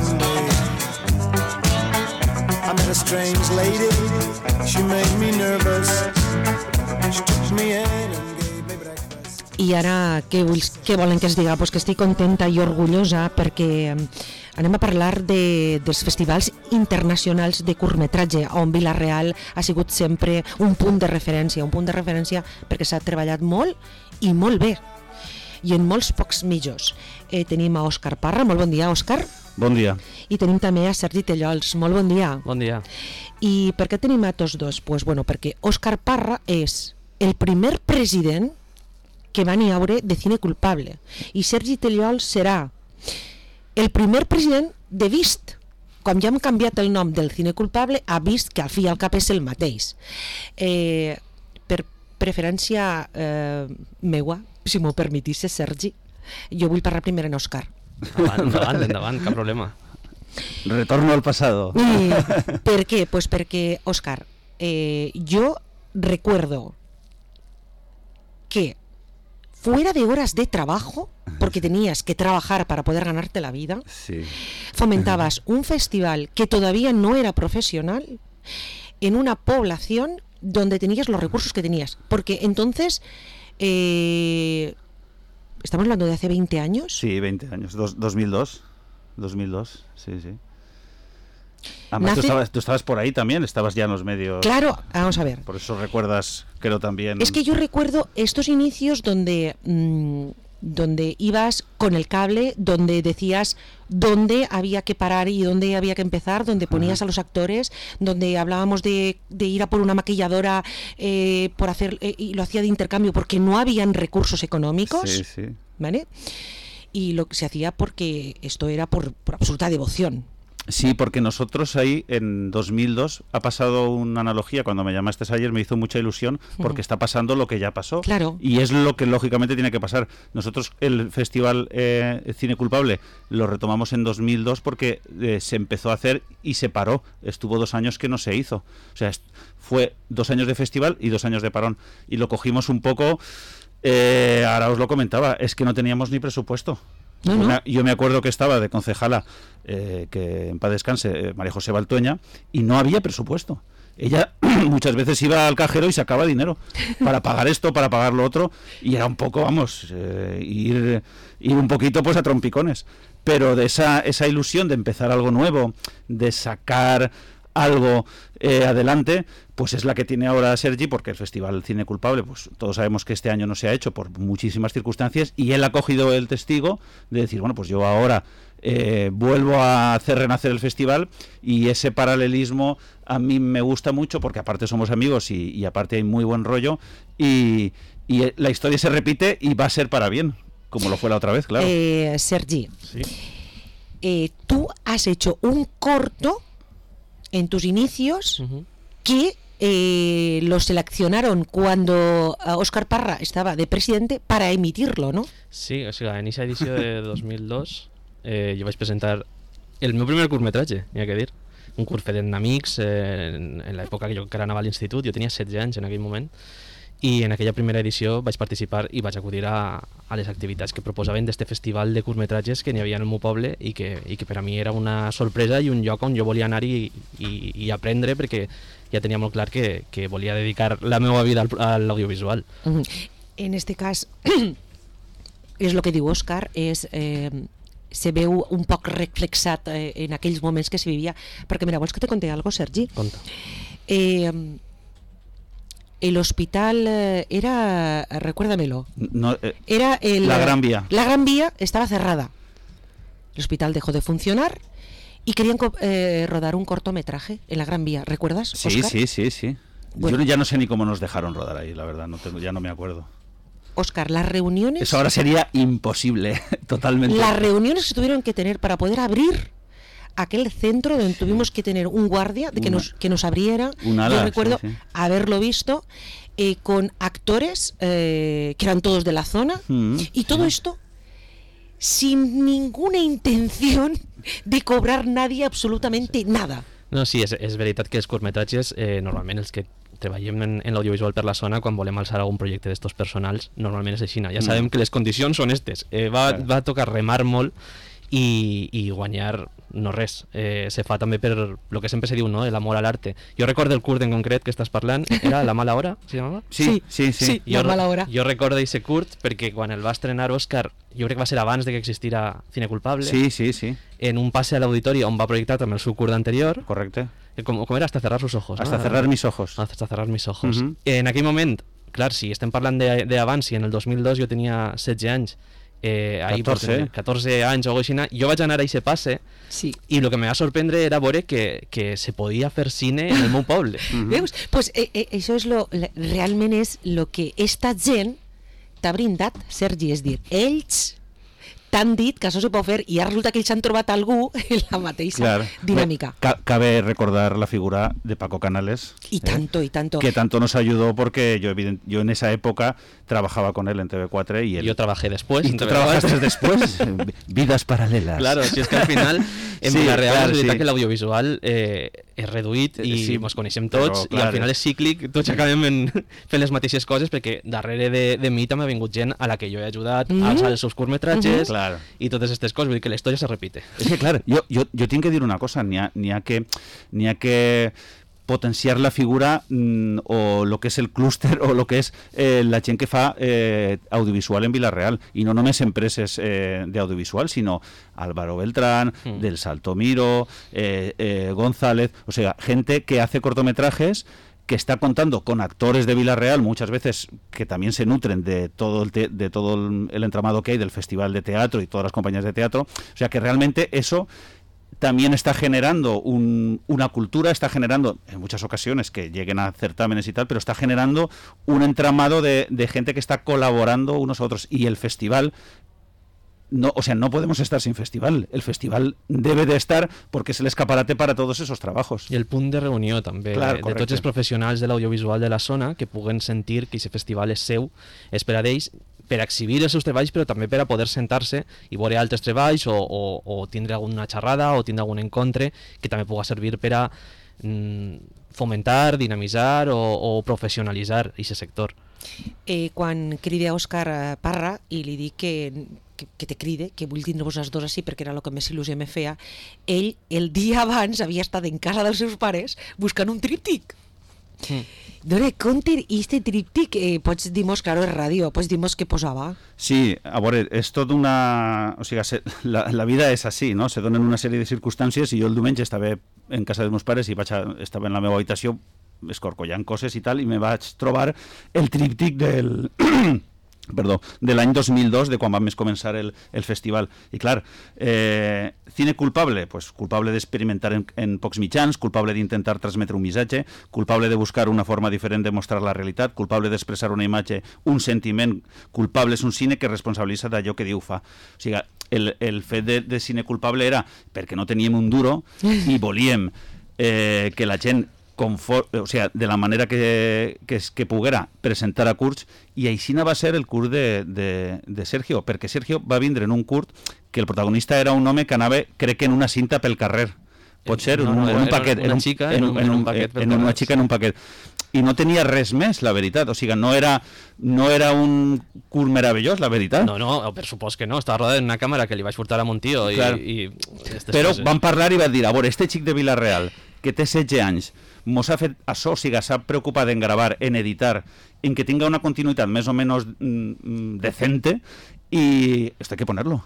someday. I met a strange lady, she made me nervous. She took me in and gave me breakfast. I ara, què volen que es diga? Pues que estic contenta i orgullosa perquè anem a parlar dels festivals internacionals de curtmetratge, on Vila-real ha sigut sempre un punt de referència perquè s'ha treballat molt i molt bé, i en molts pocs mitjos. Tenim a Òscar Parra, molt bon dia, Òscar. Bon dia. I tenim també a Sergi Tellols, molt bon dia. Bon dia. I per què tenim a tots dos? Pues bueno, perquè Òscar Parra és el primer president que va n'hi haure de Cine Culpable, i Sergi Tellols serà el primer president de Vist. Com ja hem canviat el nom del Cine Culpable a Vist, que al fi i al cap és el mateix. Per preferència meua, si m'ho permetisses, Sergi, jo vull parlar primer en Òscar. Endavant, cap problema. Retorno al pasado. ¿Por qué? Pues porque, Óscar, yo recuerdo que fuera de horas de trabajo, porque tenías que trabajar para poder ganarte la vida, sí, fomentabas un festival que todavía no era profesional en una población donde tenías los recursos que tenías. Porque entonces... ¿estamos hablando de hace 20 años? Sí, 20 años. 2002, sí. Además, tú estabas por ahí también, estabas ya en los medios. Claro, vamos a ver. Por eso recuerdas, creo también... Es que yo recuerdo estos inicios donde ibas con el cable, donde decías dónde había que parar y dónde había que empezar, donde ponías a los actores, donde hablábamos de ir a por una maquilladora por hacer y lo hacía de intercambio porque no habían recursos económicos, sí. ¿Vale? Y lo que se hacía porque esto era por absoluta devoción. Sí, porque nosotros ahí en 2002 ha pasado una analogía, cuando me llamaste ayer me hizo mucha ilusión porque está pasando lo que ya pasó. Claro. Y es lo que lógicamente tiene que pasar. Nosotros el festival Cine Culpable lo retomamos en 2002 porque se empezó a hacer y se paró. Estuvo 2 años que no se hizo. O sea, fue 2 años de festival y 2 años de parón. Y lo cogimos un poco, ahora os lo comentaba, es que no teníamos ni presupuesto. No. Yo me acuerdo que estaba de concejala, que en paz descanse, María José Baltueña, y no había presupuesto. Ella muchas veces iba al cajero y sacaba dinero para pagar esto, para pagar lo otro, y era un poco, ir un poquito pues a trompicones. Pero de esa ilusión de empezar algo nuevo, de sacar algo adelante, pues es la que tiene ahora Sergi, porque el Festival Cine Culpable, pues todos sabemos que este año no se ha hecho por muchísimas circunstancias, y él ha cogido el testigo de decir, bueno, pues yo ahora vuelvo a hacer renacer el festival, y ese paralelismo a mí me gusta mucho, porque aparte somos amigos y aparte hay muy buen rollo, y la historia se repite y va a ser para bien, como lo fue la otra vez, claro. Sergi, Sí. Tú has hecho un corto en tus inicios que lo seleccionaron cuando Òscar Parra estaba de presidente para emitirlo, ¿no? Sí, o sigui, en aquesta edició de 2002 jo vaig presentar el meu primer curtmetratge, n'hi ha que dir. Un curt fet d'amics en l'època que jo encara anava a l'institut, jo tenia 16 anys en aquell moment, i en aquella primera edició vaig participar i vaig acudir a les activitats que proposaven d'este festival de curtmetratges que n'hi havia en el meu poble i que per a mi era una sorpresa i un lloc on jo volia anar i aprendre, perquè ja tenia molt clar que volia dedicar la meva vida a l'audiovisual. En este cas, és el que diu Òscar, se veu un poc reflexat en aquells moments que se vivia, perquè mira, vols que te conté algo, Sergi? Conta. El hospital era, recuérdamelo, No, era la Gran Vía. La Gran Vía estaba cerrada. El hospital dejó de funcionar y querían rodar un cortometraje en la Gran Vía. ¿Recuerdas, Sí, Óscar? sí. Bueno. Yo ya no sé ni cómo nos dejaron rodar ahí, la verdad, ya no me acuerdo. Óscar, las reuniones... Eso ahora sería imposible, totalmente. Las reuniones que se tuvieron que tener para poder abrir aquel centro donde tuvimos que tener un guardia de que nos abriera. Yo recuerdo haberlo visto con actores que eran todos de la zona y todo esto sin ninguna intención de cobrar nadie absolutamente nada. No, sí, és veritat que els curtmetratges, normalment els que treballem en l'audiovisual per la zona, quan volem alçar algun projecte d'estos personals, normalment és així. Ja sabem que les condicions són estes. Va tocar remar molt i guanyar no res. Se fa també per lo que sempre se diu, no? L'amor a l'arte. Jo recordo el curt en concret que estàs parlant, era La mala hora, se llamava? Sí, La mala hora. Jo recordo aquest curt perquè quan el va estrenar Òscar, jo crec que va ser abans de que existira Cine Culpable, Sí. en un passe a l'auditori on va projectar també el seu curt anterior, Correcte. com era? Hasta cerrar sus ojos. Hasta cerrar mis ojos. Hasta cerrar mis ojos. Mhm. En aquell moment, clar, si estem parlant d'abans, si en el 2002 jo tenia 16 anys, ahí 14 anys o alguna cosa així, jo vaig anar a aquest passe Sí. i el que me va sorprendre era veure que se podia fer cine en el meu poble. Veus? Pues això és realment és el que esta gent t'ha brindat, Sergi, és dir, ells t'han dit que això se pot fer i ara resulta que ells han trobat algú en la mateixa dinámica. Cabe recordar la figura de Paco Canales. Y tanto. Que tanto nos ayudó porque yo en esa época trabajaba con él en TV4 y él... Yo trabajé después. ¿Y tú trabajaste después? Vidas paralelas. Claro, si és que al final en la real és veritat que l'audiovisual és reduït i ens coneixem tots, i al final és cíclic, tots acabem fent les mateixes coses, perquè darrere de mi també ha vingut gent a la que jo he ajudat a alçar els seus curtmetratges i totes aquestes coses, vull dir que la història se repite. És que clar, jo tinc que dir una cosa, n'hi ha que potenciar la figura o lo que es el clúster o lo que es la gent que fa audiovisual en Vila-real, i no només empreses d'audiovisual, sinó Álvaro Beltrán, del Saltomiro, González, o sea, gente que hace cortometrajes, que está contando con actores de Vila-real, muchas veces que también se nutren de todo el entramado que hay del Festival de Teatro y todas las compañías de teatro, o sea que realmente eso también está generando una cultura, está generando en muchas ocasiones que lleguen a certámenes y tal, pero está generando un entramado de gente que está colaborando unos a otros, y el festival no, o sea, no podemos estar sin festival. El festival debe de estar porque es el escaparate para todos esos trabajos. I el punt de reunió també, de tots els professionals de l'audiovisual de la zona que puguen sentir que aquest festival és seu, és per a ells, per a exhibir els seus treballs, però també per a poder sentar-se i veure altres treballs o tindre alguna xerrada o tindre algun encontre que també pugui servir per a fomentar, dinamitzar o professionalitzar aquest sector. Quan cride a Òscar Parra i li dic que te cride, que vull tindre-vos els dos així perquè era el que més il·lusió me feia, ell el dia abans havia estat en casa dels seus pares buscant un tríptic. Dona compte, i este tríptic, pots dir-nos, claro, és ràdio, pots dir-nos què posava? Sí, a veure, és tot una... O sigui, la vida és així, no? Se donen una sèrie de circumstàncies i jo el diumenge estava en casa dels meus pares i estava en la meva habitació escorcollant coses i tal, i me vaig trobar el tríptic del... perdó, de l'any 2002, de quan vam començar el festival. I clar, cine culpable, pues culpable d'experimentar en pocs mitjans, culpable d'intentar transmetre un missatge, culpable de buscar una forma diferent de mostrar la realitat, culpable d'expressar una imatge, un sentiment, culpable és un cine que responsabilitza d'allò que diu fa. O sigui, el fet de cine culpable era perquè no teníem un duro i volíem que la gent o sea, de la manera que poguera presentar a curts, i així va ser el curt de Sergio, perquè Sergio va vindre en un curt que el protagonista era un home que anava, crec que en una cinta pel carrer, pot ser, en un paquet, una xica en un paquet, en una xica en un paquet, i no tenia res més, la veritat, o sigui, no era un curt meravellós, la veritat. No, per supost que no, estava rodat en una càmera que li vaig portar a mon tio i però van parlar i van dir, a veure, este xic de Vila-real que té 16 anys mos ha fet això, o sigui, s'ha preocupat en gravar, en editar, en que tinga una continuïtat més o menys decente, y esto hay que ponerlo,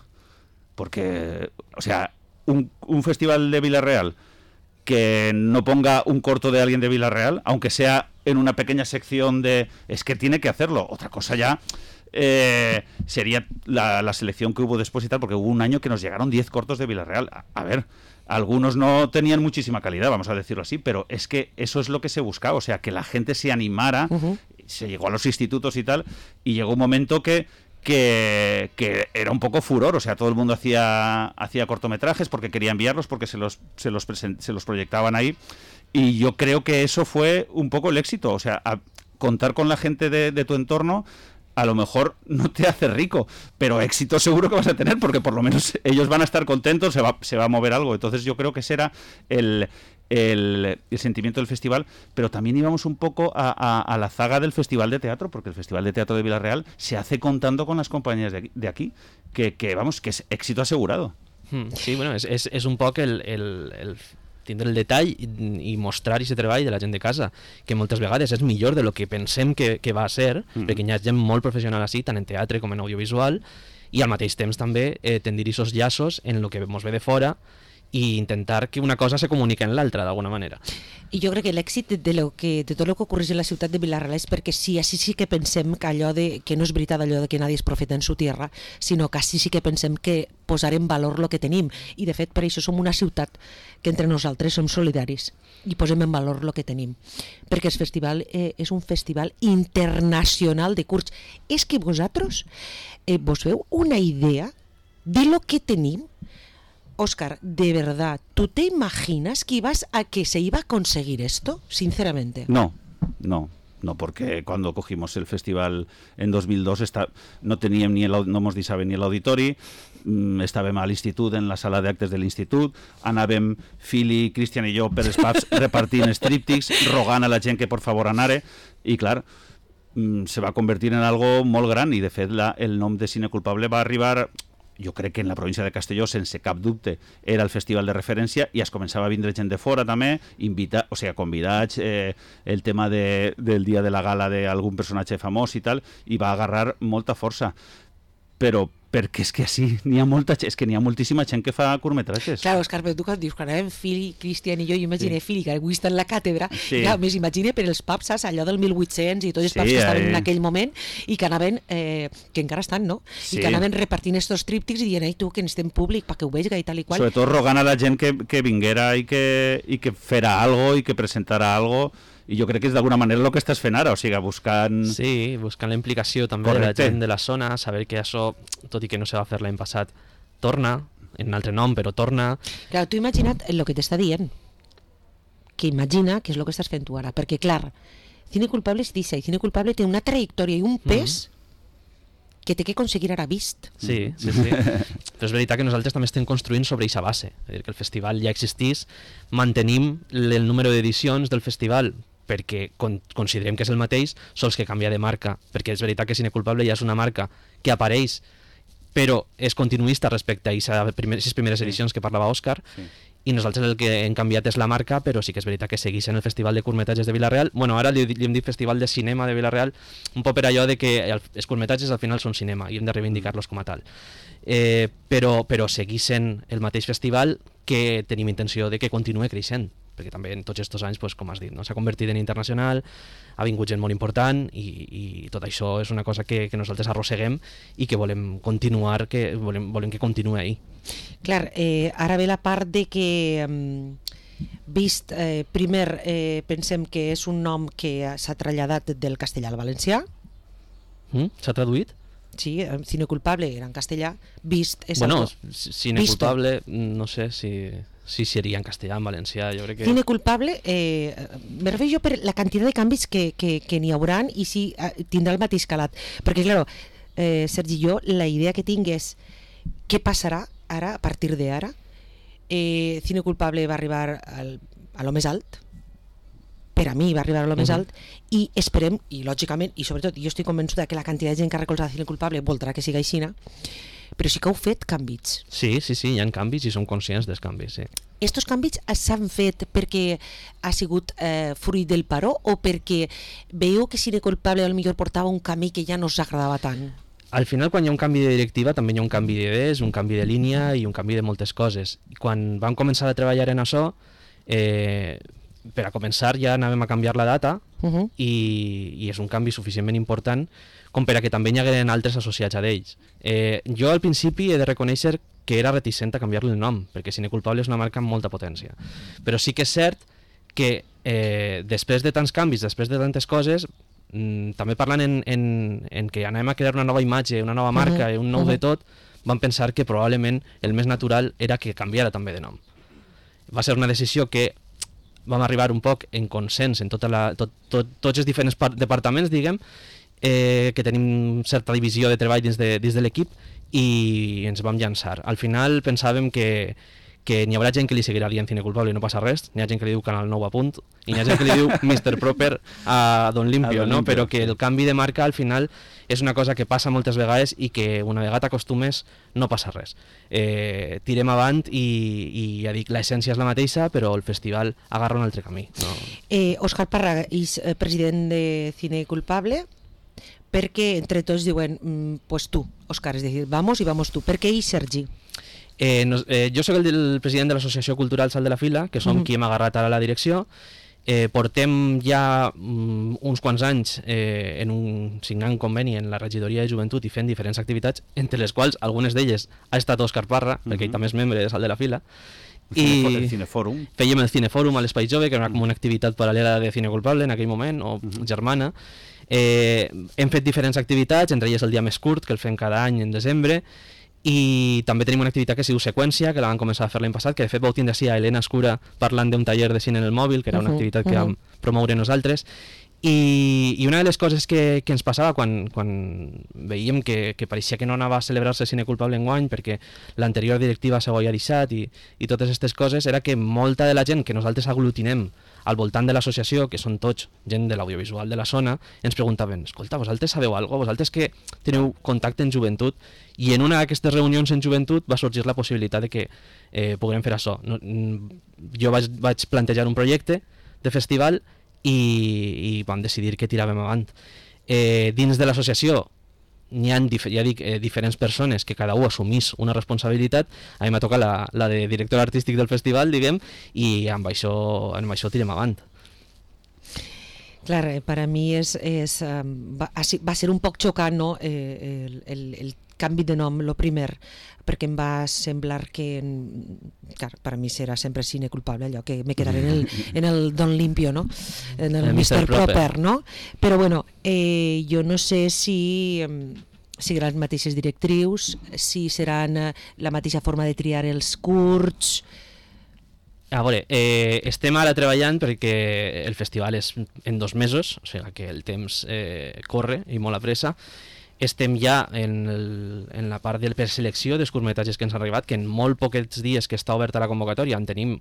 porque, o sea, un festival de Vila-real que no ponga un corto de alguien de Vila-real, aunque sea en una pequeña sección de... es que tiene que hacerlo. Otra cosa ya sería la selección que hubo después y tal, porque hubo un año que nos llegaron 10 cortos de Vila-real. A ver, algunos no tenían muchísima calidad, vamos a decirlo así, pero es que eso es lo que se buscaba, o sea, que la gente se animara, se llegó a los institutos y tal, y llegó un momento que era un poco furor, o sea, todo el mundo hacía cortometrajes porque quería enviarlos, porque se los proyectaban ahí, y yo creo que eso fue un poco el éxito, o sea, contar con la gente de tu entorno a lo mejor no te hace rico, pero éxito seguro que vas a tener, porque por lo menos ellos van a estar contentos, se va a mover algo. Entonces yo creo que ese era el sentimiento del festival, pero también íbamos un poco a la zaga del Festival de Teatro, porque el Festival de Teatro de Vila-real se hace contando con las compañías de aquí, que vamos, que es éxito asegurado. Sí, bueno, és un poc el tindre el detall i mostrar aquest treball de la gent de casa, que moltes vegades és millor de lo que pensem que va ser, perquè hi ha gent molt professional així, tant en teatre com en audiovisual, i al mateix temps també tendir aquests llaços en el que ens ve de fora i intentar que una cosa se comunique en l'altra d'alguna manera. I jo crec que l'èxit de tot el que ocorreix en la ciutat de Vila-real és perquè sí, així sí que pensem que allò que no és veritat allò de que nadie és profeta en su tierra, sinó que així sí que pensem que posar en valor el que tenim, i de fet per això som una ciutat que entre nosaltres som solidaris i posem en valor el que tenim, perquè el festival és un festival internacional de curts. És que vosaltres vos feu una idea de lo que tenim. Óscar, de verdad, ¿tú te imaginas que se iba a conseguir esto? Sinceramente. No, porque cuando cogimos el festival en 2002 no teníem no mos deixaven ni l'auditori, estàvem a l'institut, en la sala d'actes de l'institut, anàvem Fili, Cristian i jo per els pubs repartint estríptics, rogant a la gent que por favor anara, i clar, se va convertir en algo molt gran, i de fet el nom de Cine Culpable va arribar... Jo crec que en la província de Castelló, sense cap dubte, era el festival de referència, i es començava a vindre gent de fora també, convidats, el tema del dia de la gala d'algun personatge famós i tal, i va agarrar molta força. Però perquè és que sí, n'hi ha moltíssima gent que fa curtmetratges. Clar, Òscar, però tu quan dius que anàvem Fili, Cristian i jo imagine Fili, que avui està en la càtedra, ja, més imagine per els pubs, saps, allò del 1800 i tots els pubs que estaven en aquell moment, i que anaven, que encara estan, no? I que anaven repartint estos tríptics i dient, ei tu, que n'estem públic, perquè ho vegi i tal i qual. Sobretot rogant a la gent que vinguera i que fera algo i que presentara algo. I jo crec que és d'alguna manera el que estàs fent ara, o sigui, buscant... Sí, buscant la implicació també de la gent de la zona, saber que això, tot i que no se va fer l'any passat, torna, en un altre nom, però torna... Clar, tu imagina't el que t'està dient, que imagina que és el que estàs fent tu ara, perquè clar, Cine Culpable és dice, i Cine Culpable té una trajectòria i un pes que té que aconseguir ara vist. Sí. Però és veritat que nosaltres també estem construint sobre aquesta base, és a dir, que el festival ja existís, mantenim el número d'edicions del festival perquè considerem que és el mateix, sols que canvia de marca, perquè és veritat que Cine Culpable ja és una marca que apareix, però és continuista respecte a aquestes primeres edicions que parlava Òscar, i nosaltres el que hem canviat és la marca, però sí que és veritat que segueix en el Festival de Curtmetratges de Vila-real. Bueno, ara li hem dit Festival de Cinema de Vila-real, un poc per allò de que els curtmetratges al final són cinema i hem de reivindicar-los com a tal. Però segueix sent el mateix festival que tenim intenció de que continuï creixent, perquè també en tots aquests anys, com has dit, no? S'ha convertit en internacional, ha vingut gent molt important i tot això és una cosa que nosaltres arrosseguem i que volem continuar, que volem que continuï ahí. Clar, ara ve la part de que vist, primer pensem que és un nom que s'ha traslladat del castellà al valencià. S'ha traduït? Sí, Cine Culpable era en castellà, vist és Cine Culpable, no sé si seria en castellà, en valencià, jo crec que... Cine Culpable, me refereixo per la quantitat de canvis que n'hi hauran i si tindrà el mateix calat. Perquè, clar, Sergi, jo la idea que tinc és què passarà ara, a partir d'ara. Cine Culpable va arribar a lo més alt, per a mi va arribar a lo més alt, i esperem, i lògicament, i sobretot jo estic convençuda que la quantitat de gent que ha recolzat Cine Culpable voldrà que siga aixina, però sí que heu fet canvis. Sí, hi ha canvis i som conscients dels canvis, sí. Estos canvis s'han fet perquè ha sigut fruit del paró o perquè veieu que Cine Culpable potser portava un camí que ja no us agradava tant? Al final, quan hi ha un canvi de directiva, també hi ha un canvi d'idees, un canvi de línia i un canvi de moltes coses. I quan vam començar a treballar en això, per a començar ja anàvem a canviar la data i és un canvi suficientment important com per a que també hi hagueren altres associats a d'ells. Jo al principi he de reconèixer que era reticent a canviar-li el nom, perquè Cine Culpable és una marca amb molta potència. Però sí que és cert que després de tants canvis, després de tantes coses, també parlant en que anem a crear una nova imatge, una nova marca, un nou de tot, vam pensar que probablement el més natural era que canviara també de nom. Va ser una decisió que vam arribar un poc en consens en tots els diferents departaments, diguem, que tenim certa divisió de treball dins de l'equip i ens vam llançar. Al final pensàvem que que n'hi haurà gent que li seguirà dient Cine Culpable i no passa res, n'hi ha gent que li diu Canal 9 a punt, i n'hi ha gent que li diu Mr. Proper a Don Limpio, no? Però que el canvi de marca al final és una cosa que passa moltes vegades i que una vegada t'acostumes no passa res. Tirem avant i ja dic, l'essència és la mateixa, però el festival agarra un altre camí. No? Òscar Parra és president de Cine Culpable, perquè entre tots diuen, pues tu, Òscar, és a dir, vamos i vamos tu. Per què i Sergi? Jo soc el president de l'Associació Cultural Sal de la Fila, que som qui hem agarrat ara la direcció. Portem ja uns quants anys signant conveni en la regidoria de joventut i fent diferents activitats, entre les quals algunes d'elles ha estat Òscar Parra, perquè ell també és membre de Sal de la Fila. El Cinefòrum. Fèiem el Cinefòrum a l'Espai Jove, que era com una activitat paral·lela de Cine Culpable en aquell moment, o germana. Hem fet diferents activitats, entre elles el dia més curt, que el fem cada any en desembre, i també tenim una activitat que es diu Seqüència, que la vam començar a fer l'any passat, que de fet vau tindre així a Helena Escura parlant d'un taller de cine en el mòbil, que era una activitat que vam promoure nosaltres. I una de les coses que ens passava quan veiem que pareixia que no anava a celebrar-se Cine Culpable enguany perquè l'anterior directiva s'ho havia deixat i totes aquestes coses, era que molta de la gent que nosaltres aglutinem al voltant de l'associació, que són tots gent de l'audiovisual de la zona, ens preguntaven, escolta, vosaltres sabeu alguna cosa? Vosaltres que teniu contacte en joventut? I en una d'aquestes reunions en joventut va sorgir la possibilitat de que puguem fer això. Jo vaig plantejar un projecte de festival i vam decidir que tiràvem avant. Dins de l'associació n'hi ha, ja dic, diferents persones que cada un assumís una responsabilitat. A mi m'ha tocat la de director artístic del festival, diguem, i amb això tirem avant. Clar, per a mi va ser un poc xocant, no? El canvi de nom, lo primer, perquè em va semblar que, clar, per a mi serà sempre Cine Culpable, allò que me quedaré en el Don Limpio, no? En el Mr. Proper, no? Però bueno, jo no sé si seran les mateixes directrius, si seran la mateixa forma de triar els curts. A veure, estem ara treballant perquè el festival és en 2 mesos, o sigui que el temps corre i molt a pressa. Estem ja en la part de preselecció dels curtmetratges que ens han arribat, que en molt poquets dies que està oberta la convocatòria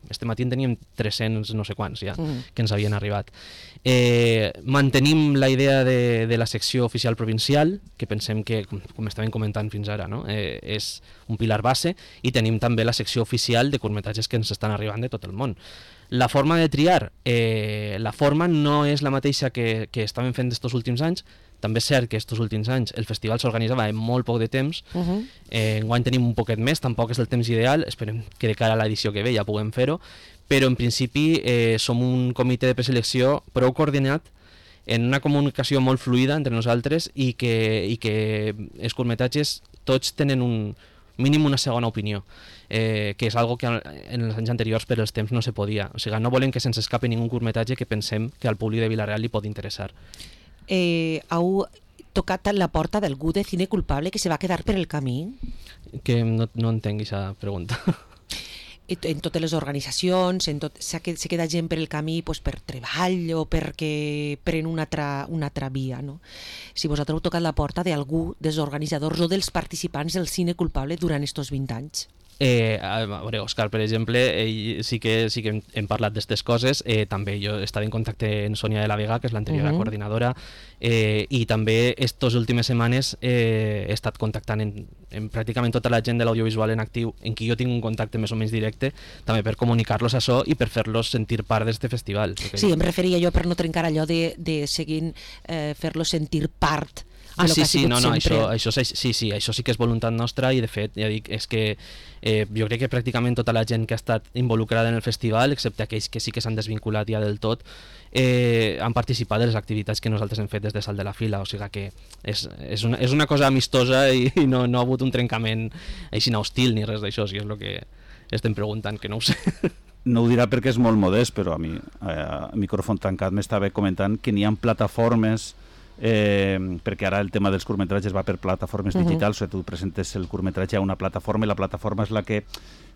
este matí en teníem 300 no sé quants ja que ens havien arribat. Mantenim la idea de la secció oficial provincial, que pensem que, com estàvem comentant fins ara, no? És un pilar base, i tenim també la secció oficial de curtmetratges que ens estan arribant de tot el món. La forma de triar, la forma no és la mateixa que estàvem fent estos últims anys. També és cert que estos últims anys el festival s'organitzava en molt poc de temps. Enguany tenim un poquet més, tampoc és el temps ideal, esperem que de cara a l'edició que ve ja puguem fer-ho, però en principi som un comitè de preselecció prou coordinat, en una comunicació molt fluida entre nosaltres, i que els curtmetratges tots tenen un mínim una segona opinió, que és algo que en els anys anteriors per els temps no se podia. O sigui, no volem que se'ns escapi ningú curtmetratge que pensem que al públic de Vila-real li pot interessar. Heu tocat a la porta d'algú de Cine Culpable que se va quedar per el camí? Que no entenc aquesta pregunta. En totes les organitzacions, se queda gent per el camí per treball o perquè pren una altra via, no? Si vosaltres heu tocat la porta d'algú dels organitzadors o dels participants del Cine Culpable durant estos 20 anys? A veure, Òscar, per exemple, ell sí que hem parlat d'aquestes coses. També jo estava en contacte amb Sònia de la Vega, que és l'anterior coordinadora, i també aquestes últimes setmanes he estat contactant en pràcticament tota la gent de l'audiovisual en actiu, en qui jo tinc un contacte més o menys directe, també per comunicar-los això i per fer-los sentir part d'aquest festival. Sí, em referia jo per no trencar allò de seguir fer-los sentir part. Sí, això sí que és voluntat nostra, i de fet, ja dic, és que jo crec que pràcticament tota la gent que ha estat involucrada en el festival, excepte aquells que sí que s'han desvinculat ja del tot, han participat de les activitats que nosaltres hem fet des de Sal de la Fila, o sigui que és una cosa amistosa i no ha hagut un trencament així hostil ni res d'això, si és el que estem preguntant, que no ho sé. No ho dirà perquè és molt modest, però a mi, a micròfon tancat, m'estava comentant que n'hi ha plataformes, perquè ara el tema dels curtmetratges va per plataformes digitals, o sigui, tu presentes el curtmetratge a una plataforma i la plataforma és la que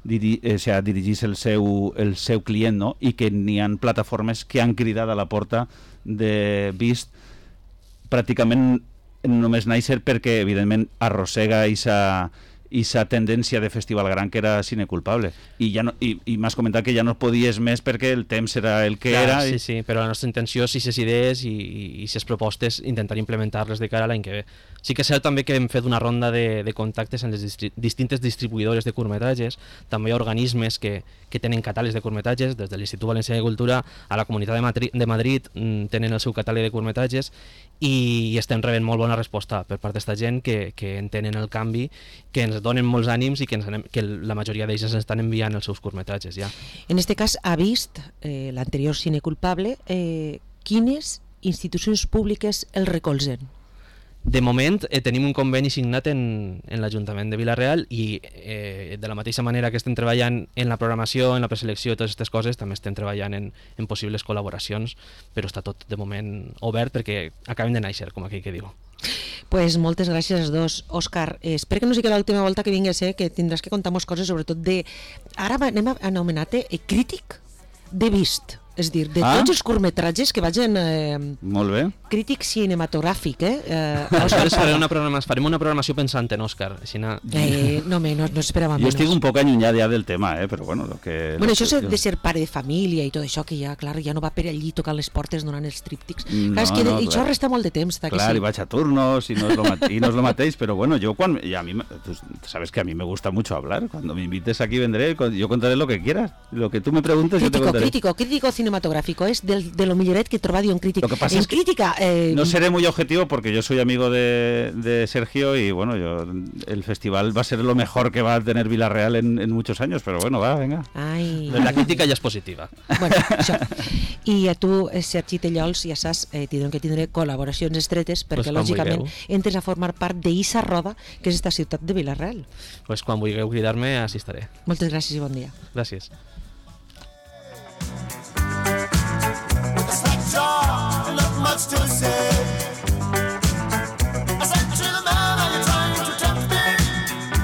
dirigís el seu client, no? I que n'hi ha plataformes que han cridat a la porta de Vist pràcticament només néixer perquè evidentment arrossega esa tendència de festival gran que era sine culpable. I m'has comentat que ja no podies més perquè el temps era el que era. Sí, sí, però la nostra intenció, si ses idees i si es propostes, intentar implementar-les de cara a l'any que ve. Sí que és cert també que hem fet una ronda de contactes amb les distintes distribuïdores de curtmetratges, també hi ha organismes que tenen catàlegs de curtmetratges, des de l'Institut Valencià de Cultura a la Comunitat de Madrid tenen el seu catàleg de curtmetratges i estem rebent molt bona resposta per part d'esta gent que entenen el canvi, que ens donen molts ànims i que la majoria d'ells ens estan enviant els seus curtmetratges ja. En este cas ha vist l'anterior Cine Culpable, quines institucions públiques el recolzen? De moment tenim un conveni signat en l'Ajuntament de Vila-real i de la mateixa manera que estem treballant en la programació, en la preselecció i totes aquestes coses, també estem treballant en possibles col·laboracions, però està tot de moment obert perquè acaben de néixer, com aquell que diu. Pues moltes gràcies als dos. Òscar, espero que no sigui l'última volta que vingues, que tindràs que contar moltes coses, sobretot de... Ara anem a anomenar-te crític de vist. És dir, de tots els curtmetratges que vagin... Molt bé. Crític cinematogràfic, Aleshores farem una programació pensant en Òscar. No esperava menys. Jo estic un poc allunyat ja del tema, però bueno... Això de ser pare de família i tot això, que ja, clar, ja no va per allí tocant les portes donant els tríptics. Clar, és que això resta molt de temps. Clar, i vaig a turnos i no és lo mateix, però bueno, yo cuando... Tú sabes que a mí me gusta mucho hablar. Cuando me invites aquí vendré, yo contaré lo que quieras. Lo que tú me preguntes, yo te contaré. Crítico cinematográfico, es de lo milloret que he trobat en crítica. Lo que pasa es crítica, no seré muy objetivo porque yo soy amigo de Sergio y bueno, el festival va a ser lo mejor que va a tener Vila-real en muchos años, pero bueno, venga. Ai. La crítica ja és positiva. Bueno, això. I a tu, Sergi Tellols, ja saps, tindrem que tindre col·laboracions estretes perquè lògicament entres a formar part d'Issa Roda, que és esta ciutat de Vila-real. Pues quan vulgueu cridar-me, així estaré. Moltes gràcies i bon dia. Gràcies. Not much to say.